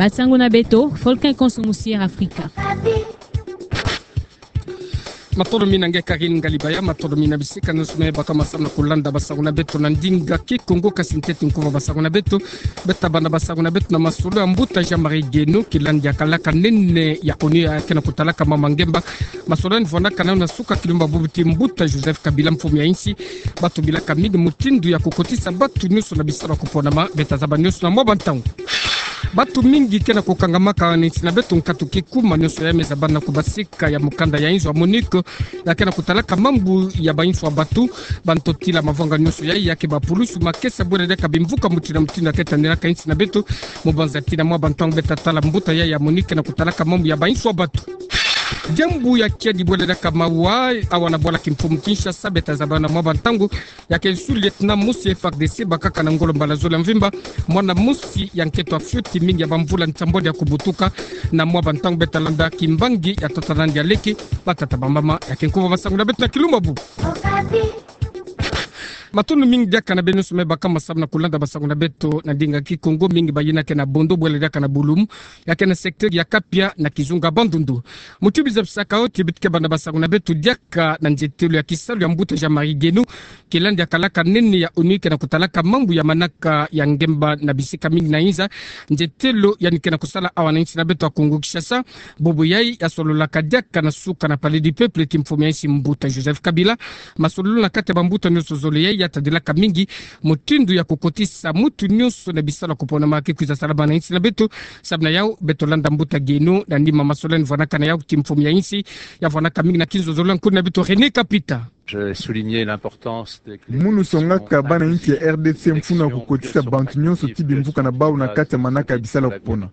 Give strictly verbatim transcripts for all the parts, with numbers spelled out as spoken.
Basango na beto, Volcan Konso Musier Afrika. Matondo mingi na nge Karine Galibaya, matondo mingi na bisika nyonso me baka masamu na kulanda basango na beto na ndinga Kikongo. Kasi ntete nkuva basango na beto, beta banda basango na beto na masolo ya mbuta Jean-Marie Geno, kilandi ya kalaka nene ya ONU ya ke na kutalaka mama ngemba. Masolo yandi vwandaka nao na suka kilumbu bubu ti mbuta Joseph Kabila, mfumu ya insi. Batu bilaka mingi mutindu ya kukotisa batu nyonso na bisalu ya kuponama, beta zaba nyonso na mwa bantangu. Batu mingi ke na kukangamaka na insi na beto nkatu kikuma, nyonso yai me zabana na kubasika ya mukanda ya inzo ya MONUC ya ke na kutalaka mambu ya bainso ya batu. Bantotila mavanga nyonso yai ya ke bapulusu makesa bwela diaka bimvuka mutindu na mutindu ya ke tanelaka insi na beto. Mu banza ti na mwa bantangu beta tala mbuta yai ya MONUC ke na kutalaka mambu ya bainso ya batu. Diambu ya kiadi bwela diaka mawa awa na bwala kimfumu Kinshasa, beta zaba na mwa bantangu ya ke sous-lieutenant mosi ya FARDC bakaka na ngolo mbala zole ya mvimba, mwana mosi ya nkento ya fioti mingi ya bamvula nsambwadi ya kubutuka. Na mwa bantangu beta landa kimbangi ya tata nandi ya leke, batata bamama, ya ke nkuva basango na beto na kilumbu bubu. Matondo mingi diaka na beno nyonso me baka masamu na kulanda basango na beto na ndinga Kikongo, mingi bayina ke na Bondo bwela diaka na Bulumu, ya ke na secteur ya Kapia na kizunga Bandundu. Mu tubizabisaka o ti beto ke banda basango na beto diaka na nzietelo ya kisalu ya mbuta Jean-Marie Geno, kilandi ya kalaka nene ya ONU ke na kutalaka mambu ya manaka ya ngemba na bisika mingi na inza. Nzietelo yandi ke na kusala awa na insi na beto ya Kongo Kinshasa. Bobo yai ya sololaka diaka na suka na Palais du Peuple ti mfumu ya insi mbuta Joseph Kabila. Masololo na kati ya bambuta nyonso zole yai ya tadilaka mingi mutindu ya kukotisa mutu nyonso na bisalu ya kuponama ke kwiza salama na insi na beto. Samu na yau beto landa mbuta Geno na nima masololo yandi vwanaka na yau ti mfumu ya insi, ya vwanaka mingi na kinzozolo ya nkuni na beto René Kapita. Je soulignais l'importance des Munu songaka bana insi ya R D C mfunu ya kukotisa bantu nyonso ti bimvuka na bau na kati ya manaka ya bisalu ya kupona.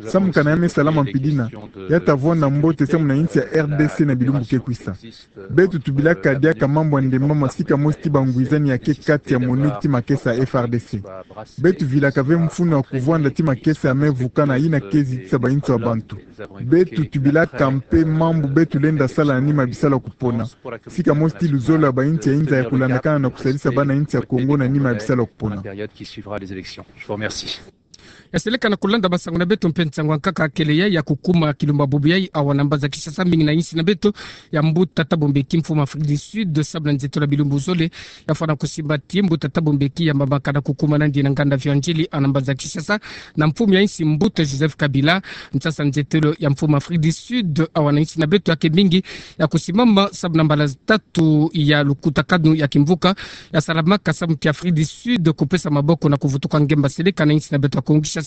Samu kana ya me salama mpidina, ya ta vwanda mbote samu na insi ya R D C na bilumbu ke kwisa. Beto tubilaka diaka mambu ya ndemba ma sika mosi ti bangwizani ya ke kati ya MONUC ti makesa ya F R D C. Beto vilaka ve mfunu ya kuvwanda ti makesa ya me vukana yina ke zitisa bainso ya bantu. Beto tubilaka mpe mambu beto lenda sala na nima ya bisalu ya kupona. Sika mosi ti luzolo ya bainsi ya inza ya kulandakana na kusalisa bana insi ya Kongo na nima ya bisalu ya kupona. Période qui suivra les élections. Je vous remercie. Ya seleka na kulanda basango na beto mpe nsangu ya nkaka kele yai ya kukuma kilumbu bubu yai awa na mbanza Kinshasa, mingi na insi na beto ya mbuta Thabo Mbeki, mfumu Afrique du Sud, samu na nzietolo ya bilumbu zole ya fwana kusimba ti mbuta Thabo Mbeki ya mbambakana kukuma nandi na nganda Vieux Ndjili awa na mbanza Kinshasa na mfumu ya insi mbuta Joseph Kabila. Nsasa nzietolo ya mfumu Afrique du Sud awa na insi na beto ya ke mingi ya kusimama samu na mbala tatu ya lukutakanu ya kimvuka ya salamaka samu ti Afrique du Sud kupesa maboko na kuvutuka ngemba seleka na insi na beto ya Kongo Kinshasa.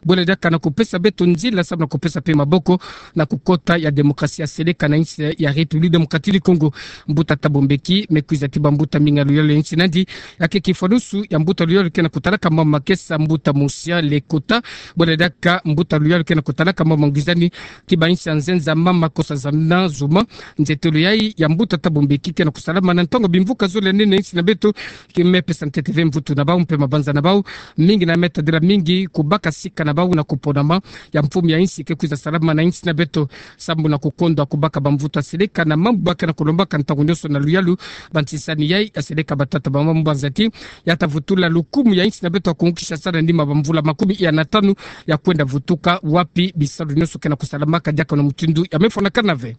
Bwela diaka na kupesa beto nzila samu na kupesa mpe maboko na kukota ya démocratie ya seleka na insi ya République Démocratique du Congo. Mbuta Thabo Mbeki me kwiza ti bambuta mingi ya luyalu ya insi nandi, ya ke kifwanusu ya mbuta luyalu ke na kutalaka mama makesa, mbuta Mosia Lekota. Bwela diaka mbuta luyalu ke na kutalaka mama ngwizani ti bainsi ya nzenza, mama Nkosazana Zuma. Nzietolo yai ya mbuta Thabo Mbeki ke na kusalama na ntangu bimvuka zole nene insi na beto, ke me pesa ntete ve mvutu na bau mpe mabanza na bau, mingi na me tadila mingi kubaka sika na bau na kuponama ya mfumu ya insi ke kwiza salama na insi na beto, samu na kukondwa kubaka bamvutu ya seleka na mambu ba ke na kulombaka ntangu nyonso na luyalu. Bantisani yai ya seleka, batata, bamama, mu banza ti ya ta vutula lukumu ya insi na beto ya Kongo Kinshasa na nima bamvula makumi ya na tanu ya kwenda vutuka, wapi bisalu nyonso ke na kusalamaka diaka na mutindu ya me fwanakana ve.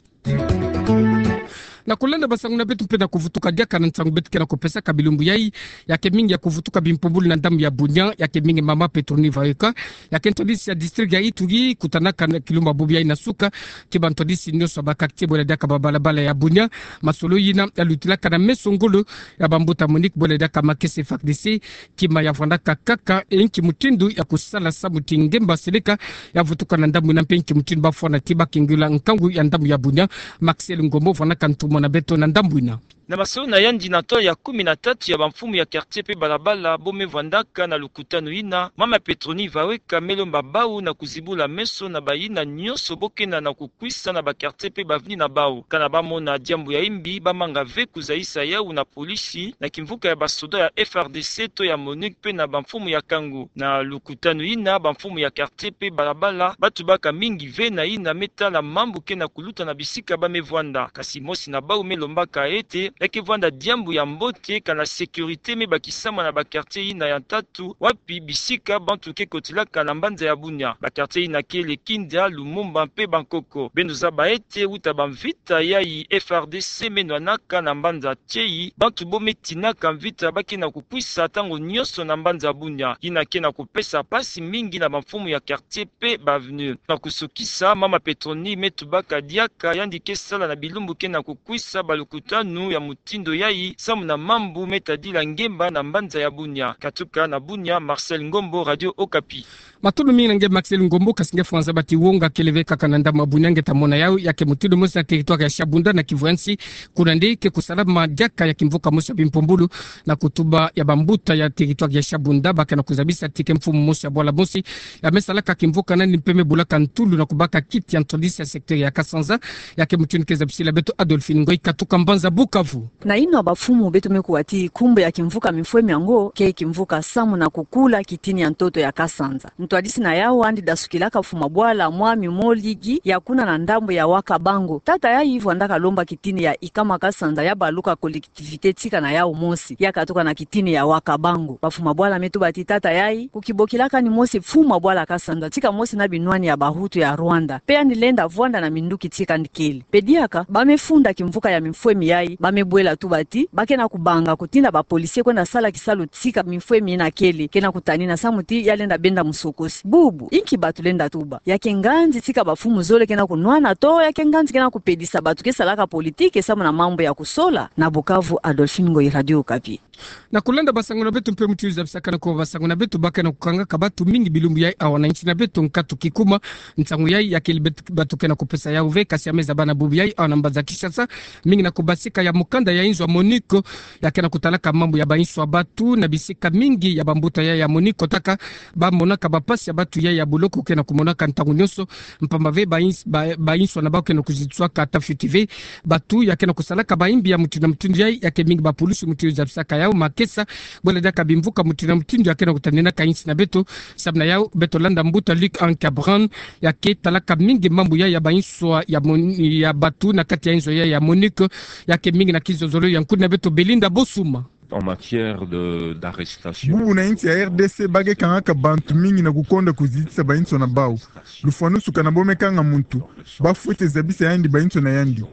Na kulanda basango na beto mpe na kuvutuka diaka na nsangu beto ke na kupesaka bilumbu yai, ya ke mingi ya kuvutuka bimpumbulu na ndambu ya Bunia, ya ke mingi mama Petroni Vayoka, ya ke ntwadisi ya district ya Ituri, kutanaka na kilumbu bubu yai na suka ti bantwadisi nyonso ya ba quartier bwela diaka babalabala ya Bunia. Masolo yina ya lutilaka na meso ngolo ya bambuta MONUC bwela diaka makesa F A R D C, kima ya vwandaka kaka inki mutindu ya kusala samu ti ngemba seleka ya vutuka na ndambu yina mpe inki mutindu ba fwana ti ba kengula nkangu ya ndambu ya Bunia. Maxel Ngombo vwandaka ntumwa na beto na ndambu yina. Na masolo na yandi na nto ya kumi na tatu ya bamfumu ya quartier mpe balabala bo me vwandaka na lukutanu yina, mama Petroni Vayoka me lomba bau na kuzibula meso na bayina nyonso bo kena na kukwisa na ba quartier mpe bavni na bau. Kana ba mona diambu ya imbi, ba manga ve kuzayisa yau na polisi na kimvuka ya basoda ya F A R D C to ya MONUC mpe na bamfumu ya nkangu. Na lukutanu yina, bamfumu ya quartier mpe balabala ba tubaka mingi ve na yina me tala mambu ke na kuluta na bisika ba me vwanda. Kasi mosi na bau me lombaka ete Ya ke vwanda diambu ya mbote kana sécurité me bakisama na ba quartier yina ya ntatu, wapi bisika bantu ke kotilaka na mbanza ya Bunia. Ba quartier yina kele Kindia, Lumumba mpe Bankoko. Beno zaba ete uta ba mvita yayi F R D C me nwanaka na mbanza tieyi, bantu bo me tinaka mvita ba ke na kukwisa ntango nyonso na mbanza Bunia. Yina ke na kupesa mpasi mingi na bamfumu ya quartier mpe ba avenue. Na kusukisa, mama Petronie me tubaka diaka yandi ke sala na bilumbu ke na kukwisa balukutanu ya mutindu yayi samu na mambu me tadila ngemba na mbanza ya Bunia. Katuka na Bunia, Marcel Ngombo, Radio Okapi. Matondo mingi na nge Marcel Ngombo, kasi nge fwanza bati wonga kele ve kaka na ndambu ya Bunia nge ta mona yawu, ya ke mutindu mosi na territoire ya Shabunda na Kivu ya nsi, kuna nde ke kusalama diaka ya kimvuka mosi ya bimpumbulu, na kutuba ya bambuta ya territoire ya Shabunda, ba ke na kuzabisa ti ke mfumu mosi ya bwala mosi ya me salaka kimvuka nani mpe me bulaka ntulu na kubaka kiti ya ntwadisi ya secteur ya Kasanza, ya ke mutindu ke zabisila beto Adolphine Ngoyi katuka mbanza Bukavu. Na yinwa bamfumu beto me kuwa ti nkumbu ya kimvuka mifwemi yango ke kimvuka samu na kukula kitini ya ntoto ya Kasanza. Ntwadisi na yawu andi dasukilaka mfumu ya bwala, mwami Moligi, ya kuna na ndambu ya Wakabango. Tata yayi vwandaka lomba kitini ya Ikama Kasanza ya baluka collectivité tika na yawu mosi, ya katuka na kitini ya Wakabango. Bamfumu ya bwala me tuba ti tata yayi kukibokilaka ni mosi mfumu ya bwala Kasanza, tika mosi na binwani ya Bahutu ya Rwanda. Mpe yandi lenda vwanda na minduki tika andi kele. Mpe diaka, ba me funda kimvuka ya mifwemi yayi, ba me bwela tuba ti ba ke na kubanga kutinda ba policier kwenda sala kisalu tika mifwemi yina kele, ke na kutanina samu ti ya lenda benda musokosi. Bubu, inki batu lenda tuba? Ya ke nganzi tika bamfumu zole ke na kunwana to ya ke nganzi ke na kupedisa batu ke salaka politique samu na mambu ya kusola? Na Bukavu, Adolphine Ngoyi, Radio Okapi. Na kulanda basango na beto mpe mutindu zabisaka na ko basango na beto, ba ke na kukangaka batu mingi bilumbu yayi awa na nsi na beto nkatu kikuma. Nsangu yayi ya kele bet-, batu ke na kupesa yawu ve, kasi ya me zaba na bubu yayi awa na mbanza Kinshasa, mingi na kubasika ya mukanda ya inzo ya MONUC ya ke na kutalaka mambu ya bainso ya batu na bisika mingi ya bambuta yayi ya MONUC kotaka, ba monaka bampasi ya batu yayi ya boloko ke na kumonaka ntangu nyonso, mpamba ve bains-, ba-, bainso na bawu ke na kuzitiswaka ata fioti ve. Batu ya ke na kusalaka bayimbi ya mutindu na mutindu yayi ya ke mingi bapulusu mutindu zabisaka yawu makesa, bwela diaka bimvuka mutindu na mutindu ya ke na kutaninaka insi na beto. Samu na yawu, beto landa mbuta Luc Anne Cabran, ya ke talaka mingi mambu yayi ya bainso ya mon-, ya batu na kati ya inzo yayi ya MONUC, ya ke mingi na kizozolo ya nkudi na beto Belinda Bosuma. En matière de, d'arrestation. Bubu na insi ya R D C ba ke kangaka bantu mingi na kukonda kuzitisa bainso na bawu. Lufwanusu kana bo me kanga muntu, ba fwete zabisa yandi bainso na yandi.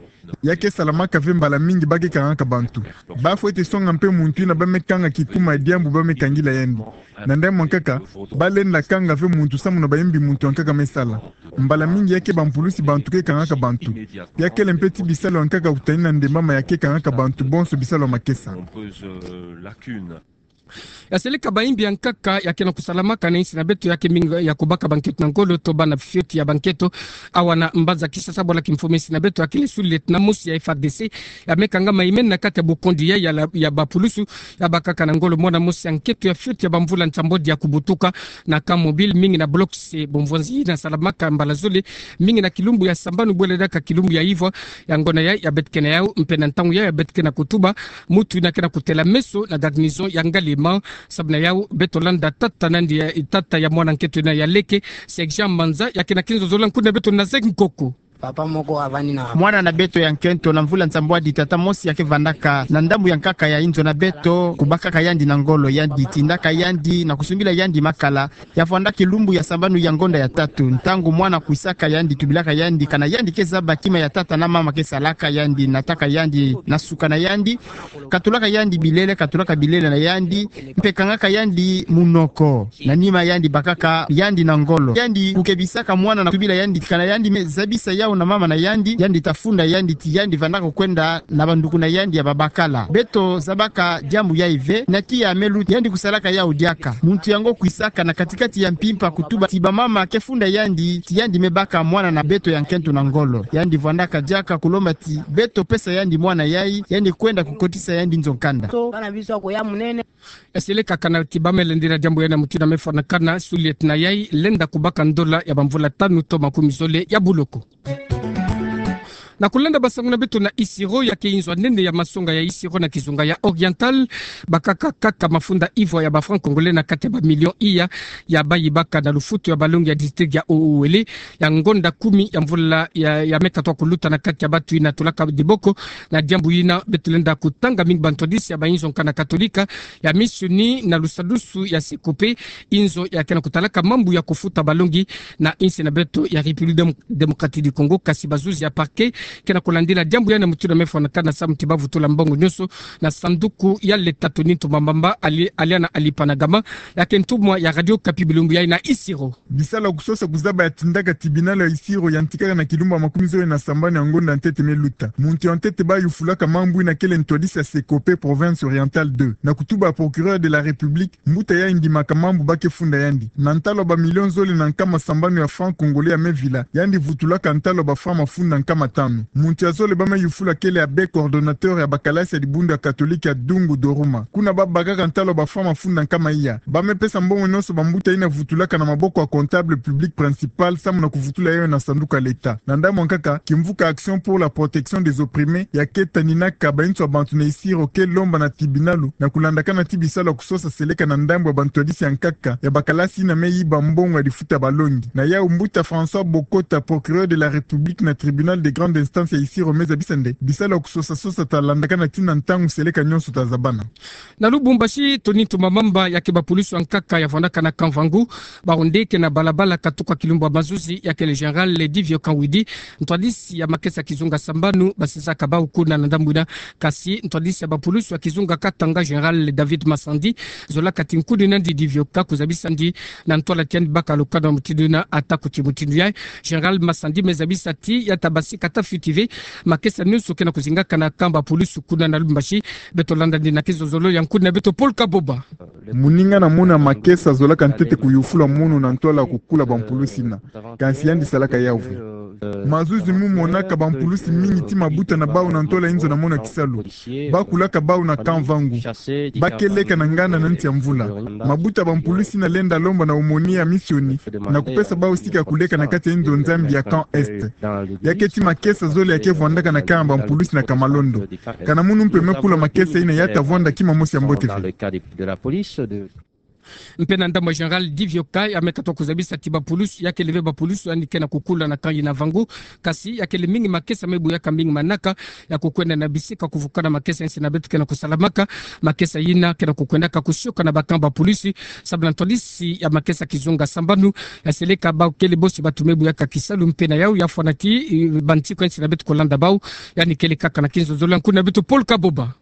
Ya ke salamaka ve mbala mingi ba ke kangaka bantu. Ba fwete songa mpe muntu yina ba me kanga kikuma ya diambu ba me kangila yandi. Na ndambu yankaka, ba lenda kanga ve muntu samu na bayimbi muntu yankaka me sala. Mbala mingi ya ke bampulusi bantu ke kangaka bantu. Ya kele mpe ti bisalu yankaka kutanina ndembama ya ke kangaka bantu bonso bisalu ya makesa. Ya seleka bayimbi yankaka ya ke na kusalamaka na insi na beto ya ke mingi ya kubaka banketo na ngolo to bana fioti ya banketo. Awa na mbanza Kinshasa bwala kimfumu insi na beto ya kele sous-lieutenant mosi ya F R D C ya me kangama imeni na kati ya bukondi ya, ya la, ya bapulusu. Ya bakaka na ngolo mwana mosi ya nketo ya fioti ya bamvula nsambwadi ya kubutuka na car mobile mingi na bloc C, bomvwanzi yina salamaka mbala zole mingi na kilumbu ya sambanu bwela diaka kilumbu ya ivwa. Yango na yayi ya beto ke na yawu, mpe na ntangu yayi ya beto ke na kutuba, mutu yina ke na kutela meso na garnison ya Ngaliema. Samu na yawu, beto landa tata nandi ya, tata ya mwana nketo yina ya leke, Sergent Manza, ya ke na kinzozolo ya nkudi na beto Nazek Nkoko. Papa moko avandi na mwana na beto ya nkento na mvula nsambwadi, tata mosi ya ke vandaka na ndambu yankaka ya inzo na beto, kubakaka yandi na ngolo, yandi tindaka yandi na kusumbila yandi makala. Ya vwanda kilumbu ya sambanu ya ngonda ya tatu. Ntangu mwana kwisaka, yandi tubilaka yandi kana yandi ke zaba kima ya tata na mama ke salaka, yandi nataka yandi na suka na yandi, katulaka yandi bilele, katulaka bilele na yandi, mpe kangaka yandi munoko. Na nima yandi bakaka yandi na ngolo. Yandi kukebisaka mwana na kutubila yandi kana yandi me zabisa yawu na mama na yandi, yandi ta funda yandi ti yandi vandaka kwenda na banduku na yandi ya babakala. Beto zabaka diambu yayi ve, na tiya me luta, yandi kusalaka yawu diaka. Muntu yango kwisaka na kati-kati ya mpimpa kutuba ti bamama ke funda yandi ti yandi me baka mwana na beto ya nkento na ngolo. Yandi vwandaka diaka kulomba ti beto pesa yandi mwana yayi, yandi kwenda kukotisa yandi nzo nkanda. So, bana biso akoya munene. Eseleka kana ti ba me lendila diambu yayi na mutindu ya me fwanakana, sous-lieutenant yayi lenda kubaka ndola ya bamvula tanu to makumi zole ya buloko. Na kulanda basango na beto na Isiro, ya ke inzo ya nene ya masonga ya Isiro na kizunga ya Oriental, bakaka kaka mafunda ivwa ya ba francs congolais na kati ya ba millions iya, ya bayibaka na lufutu ya balongi ya district ya Haut-Uélé, ya ngonda kumi ya mvula ya, ya me katoka kuluta na kati ya batu yina tulaka diboko, na diambu yina beto lenda kutanga mingi bantwadisi ya ba inzo nkaka katolika, ya misioni na lusadusu ya Secope, inzo ya ke na kutalaka mambu ya kufuta balongi na insi na beto ya République Dem-, Démocratique du Congo, kasi bazuzi ya parquet ke na kulandila diambu yina mutindu ya me fwanakana samu ti ba vutula mbongo nyonso na sanduku ya leta. Tony Ntumba Mamba ali-, aliana ali Panagama, ya ke ntumwa ya Radio Okapi bilumbu yayi na Isiro. Bisalu ya kusosa kuzaba ya tindaka tribunal ya Isiro yantikaka na kilumbu ya makumi zole na sambanu ya ngonda ya ntete me luta. Muntu ya ntete ba yufulaka mambu yina kele ntwadisi ya Secope province Orientale deux. Na kutuba ya procureur de la République, mbuta yayi ndimaka mambu ba ke funda yandi na ntalu ya ba millions zole na nkama sambanu ya francs congolais ya me vila, yandi vutulaka ntalu ya ba francs mafunda nkama tanu. Muntu ya zole ba me yufula kele abbé coordonnateur ya bakalasi ya dibundu ya katolike ya Dungu Doruma. Kuna ba bakaka ntalu ya ba francs mafunda nkama iya. Ba me pesa mbongo nyonso bambuta yina vutulaka na maboko ya comptable public principal samu na kuvutula yayo na sanduku ya leta. Na ndambu ya nkaka, kimvuka Action pour la protection des opprimés ya ke taninaka bainzo ya bantu na Isiro ke lomba na tribunal na kulandakana ti bisalu ya kusosa seleka na ndambu ya bantwadisi ya nkaka ya bakalasi yina me yiba mbongo ya difuta balongi. Na yawu mbuta François Bokota, procureur de la République na tribunal de grande instance ya Isiro me zabisa nde bisalu ya kusosa sosa ta landakana tii na ntangu seleka nyonso ta zabana. Na Lubumbashi, Tony Ntumba Mamba, ya ke bapulusu ya nkaka ya vwandaka na Camp Vangu, bawu nde ke na balabala katuka kilumbu ya mazuzi, ya kele général Divio Kawidi, ntwadisi ya makesa kizunga sambanu, basisaka bawu kuna na ndambu yina. Kasi ntwadisi ya bapulusu ya kizunga Katanga, général David Massandi, zolaka ti nkuni nandi Divio ka kuzabisa ndi na ntwala ti yandi baka lukano mutindu yina. Ata kuti mutindu yayi, général Massandi me zabisa ti ya ta basika ta fioti ve makesa nyonso ke na kuzingaka na camp bapulusu kuna na Lubumbashi. Beto landa ndi na kizozolo ya nkuni na beto Paul Kaboba. Moninga na mono ya makesa zolaka ntete kuyufula mono na ntwala ya kukula bampulusi yina. Kansi yandi salaka yawu ve. Mazuzi mu monaka bampulusi mingi ti mabuta na bawu na ntwala inzo na mono ya kisalu. Ba kulaka bawu na Camp Vangu. Ba ke leka na nganda na nti ya mvula. Mabuta bampulusi yina lenda lomba na aumônier ya misioni na kupesa bawu sika kuleka na kati ya inzo nzambi ya Camp Est. Ya ke ti makesa zole ya ke vwandaka na camp ya bampulusi na Kamalondo. Kana munu mpe me kula makesa yina ya ta vwanda kima mosi ya mbote ve. Mpe na ndambu ya général Divio ka, ya me katoka kuzabisa ti bapulusu, ya kele ve bapulusu yandi ke na kukula na camp yina Vangu. Kasi ya kele mingi makesa me buyaka mingi manaka ya kukwenda na bisika kuvukana makesa insi na beto ke na kusalamaka. Makesa yina ke na kukwendaka kusioka na ba camp bapulusi, sababu na ntwadisi ya makesa kizunga sambanu ya seleka bawu kele bosi batu me buyaka kisalu. Mpe na yawu ya fwana ti, eh, bansiku insi na beto kulanda bawu, yandi kele kaka na kizozolo ya nkuni na beto Paul Kaboba.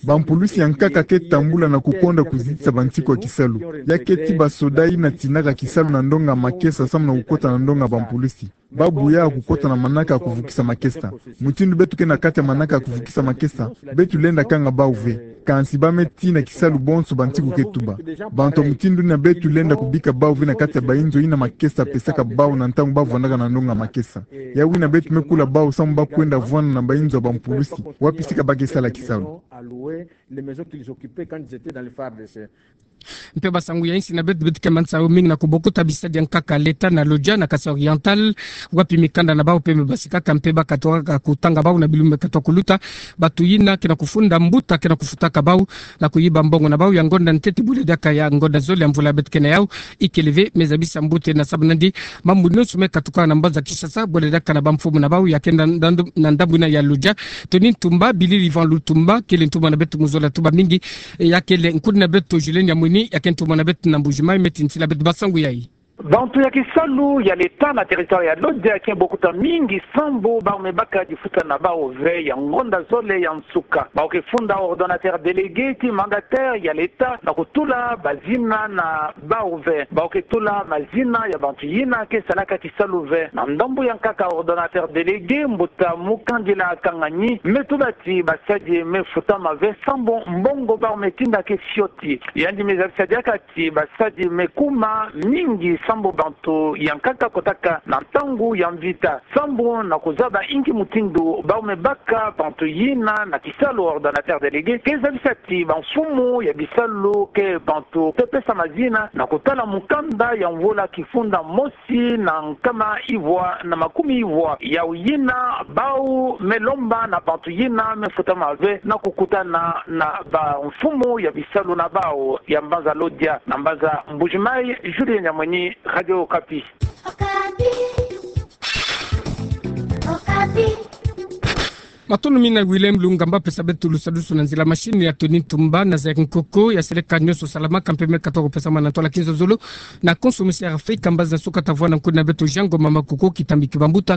Bampulusi ya nkaka ke tambula na kukonda kuzitisa bansiku ya kisalu. Ya ke ti basoda yina tinaka kisalu na ndonga makesa samu na kukota na ndonga bampulusi. Ba buya kukota na manaka ya kuvukisa makesa. Mutindu beto ke na kati ya manaka ya kuvukisa makesa, beto lenda kanga bawu ve. Kansi ba me tii na kisalu bonso bansiku ke tuba. Bantu ya mutindu yina beto lenda kubika bawu ve na kati ya bainzo yina makesa pesaka bawu na ntangu ba vwandaka na ndonga makesa. Yawu yina beto me kula bawu samu ba kwenda vwanda na bainzo ya bampulusi, wapi sika ba ke sala kisalu. Mpe basangu ya insi na beto, beto ke manisa yo mingi na kubokuta bisadi ya nkaka leta na Lodja na Kasaï Oriental, wapi mikanda na bawu mpe me basikaka mpe ba katoka kutanga bawu na bilumbu me katoka kuluta. Batu yina ke na kufunda mbuta ke na kufutaka bawu na kuyiba mbongo na bawu ya ngonda ntete bula diaka ya ngonda zole ya mvula beto ke na yawu. Ikele ve, me zabisa mbuta na sababu na ndi mambu nyonso me katuka na mbanza Kinshasa, bula diaka na bamfumu na bawu ya ke na, na, na ndambu yina ya Lodja. Tony Ntumba, Billy Ivan Lutumba, kele ntumwa na beto mu zola tuba mingi, eh, ya kele nkuni na beto Julien Nyamwini, ya ke ntumwa na beto na Mbuji-Mayi, me tintisila beto basangu yayi. Bantu ya kisalu ya leta na territoire ya Lodja ke bokuta mingi sambu bawu me baka difuta na bawu ve ya ngonda zole ya nsuka. Bawu ke funda ordonnateur délégué ti mandataire ya leta na kutula bazina na bawu ve. Bawu ke tula mazina ya bantu yina ke salaka kisalu ve. Na ndambu ya nkaka ordonnateur délégué, mbuta Mukandila Kanganyi, me tuba ti basadi me futama ve sambu mbongo bawu me tinda ke fioti. Yandi me zabisa diaka ti basadi me kuma mingi sambu bantu ya nkaka kotaka na ntangu ya mvita, sambu na kozaba inki mutindu bau me baka bantu yina na kisalu ordonnateur délégué ke zabisa ti bamfumu ya bisalu ke bantu te pesa mazina na kotala mukanda ya mvula kifunda mosi na nkama ivwa na makumi ivwa, yau yina bau me lomba na bantu yina me futa mave na kokutana na bamfumu ya bisalu na bau ya mbanza Lodya. Na mbanza Mbuji-Mayi, Julien Nyamweni, Radio Okapi. Matondo mina William Lungamba, pesa beto lusadusu na nzila machine ya Tony Tumba na Zaire Nkoko, ya seleka nionso salamaka mpe me katoka pesama na ntwala kinzonzolo na konso misi ya Afrika, mbazi na suka ta vwa na nkuni na beto Jean Ngoma Makoko, kitambi ki bambuta,